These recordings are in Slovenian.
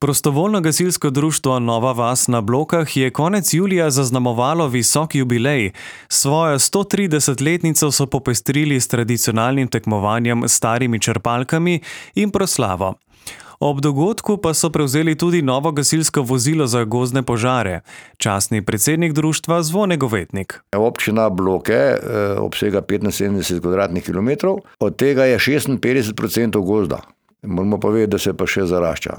Prostovoljno gasilsko društvo Nova vas na Blokah je konec julija zaznamovalo visok jubilej. Svojo 130-letnico so popestrili s tradicionalnim tekmovanjem s starimi črpalkami in proslavo. Ob dogodku pa so prevzeli tudi novo gasilsko vozilo za gozdne požare. Častni predsednik društva Zvone Govetnik. Občina Bloke obsega 75 kvadratnih kilometrov, od tega je 56% gozda. Moramo pa vedeti, da se pa še zarašča.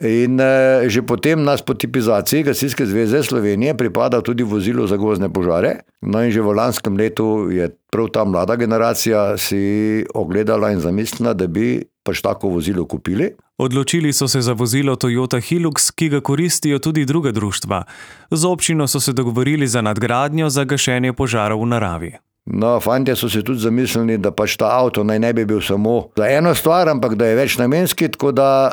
In že potem nas po tipizaciji Gasilske zveze Slovenije pripada tudi vozilo za gozdne požare. No in že v lanskem letu je prav ta mlada generacija si ogledala in zamislila, da bi pač tako vozilo kupili. Odločili so se za vozilo Toyota Hilux, ki ga koristijo tudi druga društva. Z občino so se dogovorili za nadgradnjo za gašenje požarov v naravi. No, fantje so se tudi zamislili, da pač ta avto naj ne bi bil samo za eno stvar, ampak da je večnamenski, tako da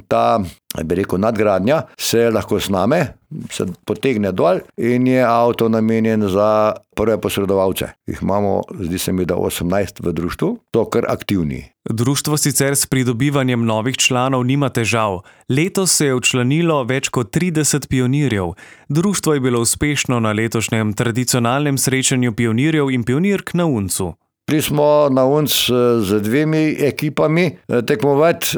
ta, bi rekel, nadgradnja se lahko sname, se potegne dol in je avto namenjen za prve posredovalce. Jih imamo, zdi se mi, da 18 v društvu, to kar aktivni. Društvo sicer s pridobivanjem novih članov nima težav. Letos se je včlanilo več kot 30 pionirjev. Društvo je bilo uspešno na letošnjem tradicionalnem srečanju pionirjev in pionirk na Uncu. Šli smo na Unc z 2 ekipami tekmovati,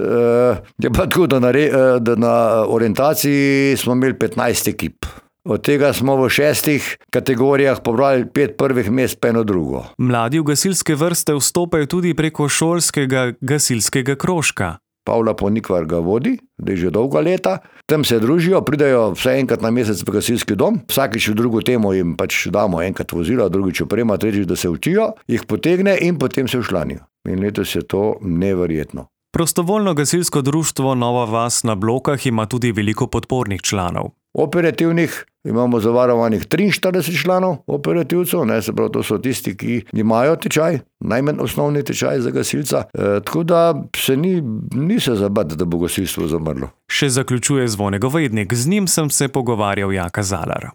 je pa tako, da na orientaciji smo imeli 15 ekip. Od tega smo v 6 kategorijah pobrali 5 prvih mest, pa eno drugo. Mladi v gasilske vrste vstopajo tudi preko šolskega gasilskega krožka. Pavla Ponikvar ga vodi, da je že dolga leta. Tam se družijo, pridajo vse enkrat na mesec v gasilski dom. Vsakič v drugo temo jim pač damo enkrat vozila, drugič oprema, tretjič, da se učijo, jih potegne in potem se včlanijo. In letos je to neverjetno. Prostovoljno gasilsko društvo Nova vas na Blokah ima tudi veliko podpornih članov. Operativnih imamo zavarovanih 43 članov operativcev, se pravi, to so tisti, ki imajo tečaj, najmanj osnovni tečaj za gasilca, tako da se ni se zabati, da bo gasilstvo zamrlo. Še zaključuje Zvone Govetnik, z njim sem se pogovarjal Jaka Zalar.